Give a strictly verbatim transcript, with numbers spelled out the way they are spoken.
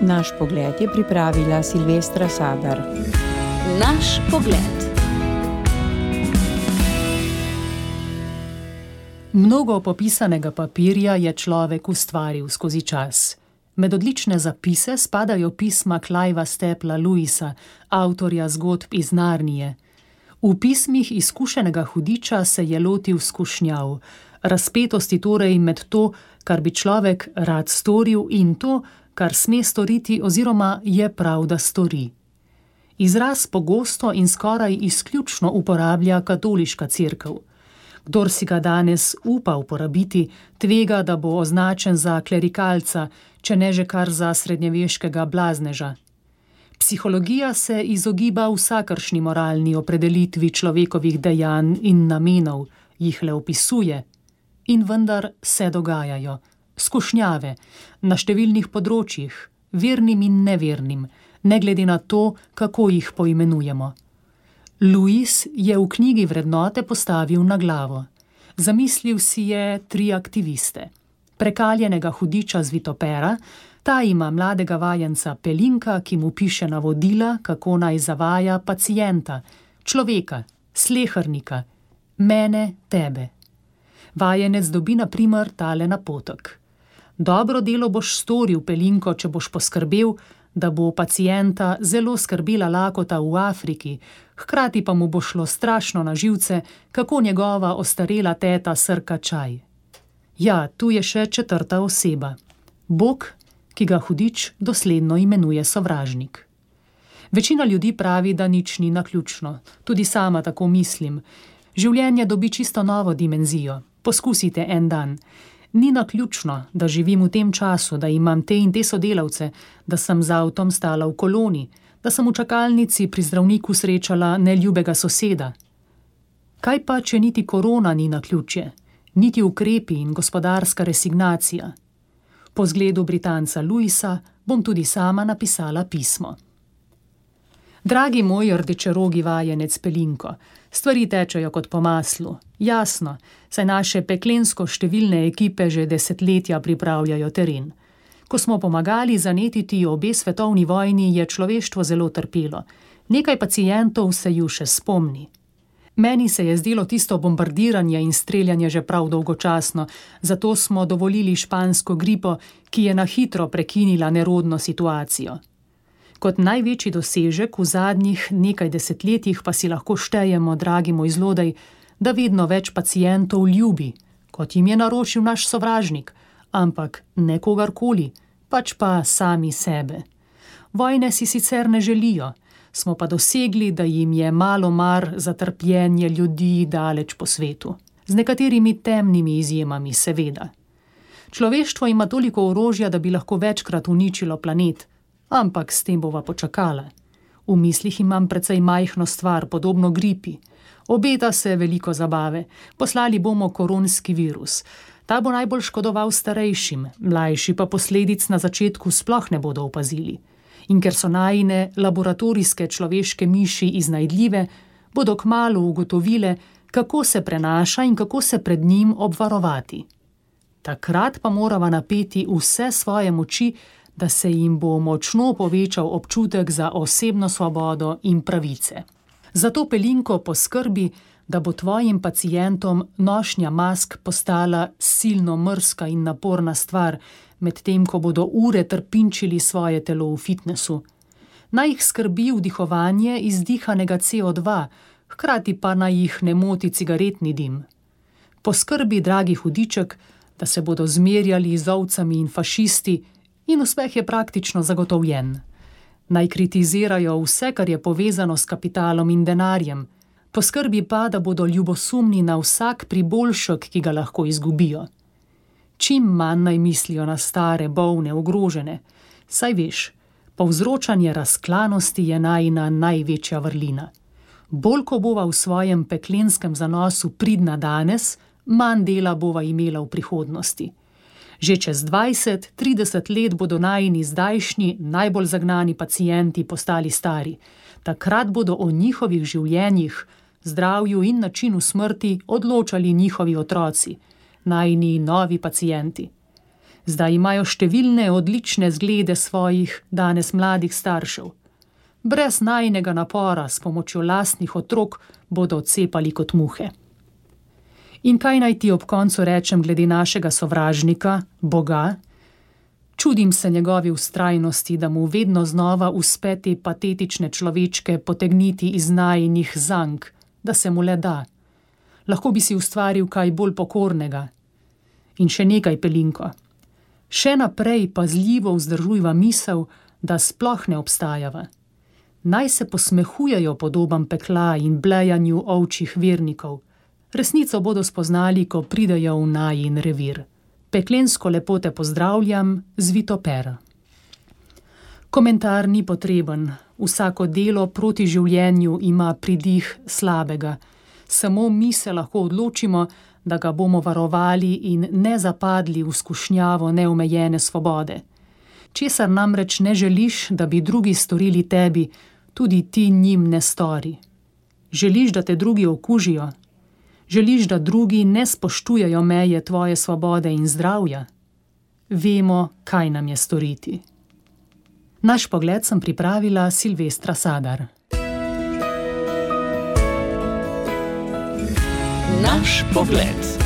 Naš pogled je pripravila Silvestra Sadar. Naš pogled. Mnogo popisanega papirja je človek ustvaril skozi čas. Med odlične zapise spadajo pisma Clivea Stapla Lewisa, avtorja zgodb iz Narnije. V pismih izkušenega hudiča se je lotil skušnjav, razpetosti torej med to, kar bi človek rad storil, in to, kar sme storiti oziroma je prav, da stori. Izraz pogosto in skoraj izključno uporablja katoliška cerkev. Kdor si ga danes upa uporabiti, tvega, da bo označen za klerikalca, če ne že kar za srednjeveškega blazneža. Psihologija se izogiba vsakršni moralni opredelitvi človekovih dejanj in namenov, jih le opisuje. In vendar se dogajajo. Skušnjave, na številnih področjih, vernim in nevernim, ne glede na to, kako jih poimenujemo. Lewis je v knjigi Vrednote postavil na glavo. Zamislil si je tri aktiviste. Prekaljenega hudiča z Vitopera, ta ima mladega vajenca Pelinka, ki mu piše navodila, kako naj zavaja pacienta, človeka, slehernika, mene, tebe. Vajenec dobi na primer tale napotek. Dobro delo boš storil, Pelinko, če boš poskrbel, da bo pacienta zelo skrbela lakota v Afriki, hkrati pa mu bo šlo strašno na živce, kako njegova ostarela teta srka čaj. Ja, tu je še četrta oseba. Bog, ki ga hudič dosledno imenuje sovražnik. Večina ljudi pravi, da nič ni naključno. Tudi sama tako mislim. Življenje dobi čisto novo dimenzijo. Poskusite en dan. Ni naključno, da živim v tem času, da imam te in te sodelavce, da sem z avtom stala v koloni, da sem v čakalnici pri zdravniku srečala neljubega soseda. Kaj pa, če niti korona ni naključje, niti ukrepi in gospodarska resignacija? Po zgledu Britanca Lewisa bom tudi sama napisala pismo. Dragi moj rdečerogi vajenec Pelinko, stvari tečejo kot po maslu. Jasno, saj naše peklensko številne ekipe že desetletja pripravljajo teren. Ko smo pomagali zanetiti obe svetovni vojni, je človeštvo zelo trpelo. Nekaj pacientov se ju še spomni. Meni se je zdelo tisto bombardiranje in streljanje že prav dolgočasno, zato smo dovolili špansko gripo, ki je na hitro prekinila nerodno situacijo. Kot največji dosežek v zadnjih nekaj desetletjih pa si lahko štejemo, dragi moj zlodej, da vedno več pacientov ljubi, kot jim je naročil naš sovražnik, ampak ne kogarkoli, pač pa sami sebe. Vojne si sicer ne želijo, smo pa dosegli, da jim je malo mar za trpljenje ljudi daleč po svetu. Z nekaterimi temnimi izjemami, seveda. Človeštvo ima toliko orožja, da bi lahko večkrat uničilo planet, ampak s tem bova počakala. V mislih imam precej majhno stvar, podobno gripi. Obeta se veliko zabave. Poslali bomo koronski virus. Ta bo najbolj škodoval starejšim, mlajši pa posledic na začetku sploh ne bodo opazili. In ker so najine laboratorijske človeške miši iznajdljive, bodo kmalu ugotovile, kako se prenaša in kako se pred njim obvarovati. Takrat pa morava napeti vse svoje moči, da se jim bo močno povečal občutek za osebno svobodo in pravice. Zato, Pelinko, poskrbi, da bo tvojim pacientom nošnja mask postala silno mrzka in naporna stvar, medtem ko bodo ure trpinčili svoje telo v fitnesu. Naj jih skrbi vdihovanje izdihanega C O dva, hkrati pa naj jih ne moti cigaretni dim. Poskrbi, dragi hudiček, da se bodo zmerjali z ovcami in fašisti, in uspeh je praktično zagotovljen. Naj kritizirajo vse, kar je povezano s kapitalom in denarjem. Poskrbi pa, da bodo ljubosumni na vsak priboljšek, ki ga lahko izgubijo. Čim manj naj mislijo na stare, bolne, ogrožene. Saj veš, povzročanje razklanosti je najina največja vrlina. Bolj ko bova v svojem peklenskem zanosu pridna danes, manj dela bova imela v prihodnosti. Že čez dvajset, trideset let bodo najini zdajšnji, najbolj zagnani pacienti postali stari. Takrat bodo o njihovih življenjih, zdravju in načinu smrti odločali njihovi otroci, najini novi pacienti. Zdaj imajo številne odlične zglede svojih danes mladih staršev. Brez najinega napora s pomočjo lastnih otrok bodo odcepali kot muhe. In kaj naj ti ob koncu rečem glede našega sovražnika, Boga? Čudim se njegovi vztrajnosti, da mu vedno znova uspe te patetične človečke potegniti iz najinih zank, da se mu le da. Lahko bi si ustvaril kaj bolj pokornega. In še nekaj, Pelinko. Še naprej pazljivo vzdržujva misel, da sploh ne obstajava. Naj se posmehujejo podobam pekla in blejanju ovčjih vernikov. Resnico bodo spoznali, ko pridejo v najin revir. Peklensko lepo te pozdravljam, Zvitopera. Komentar ni potreben. Vsako delo proti življenju ima pridih slabega. Samo mi se lahko odločimo, da ga bomo varovali in ne zapadli v skušnjavo neomejene svobode. Česar namreč ne želiš, da bi drugi storili tebi, tudi ti njim ne stori. Želiš, da te drugi okužijo? Želiš, da drugi ne spoštujejo meje tvoje svobode in zdravja? Vemo, kaj nam je storiti. Naš pogled sem pripravila Silvestra Sadar. Naš pogled.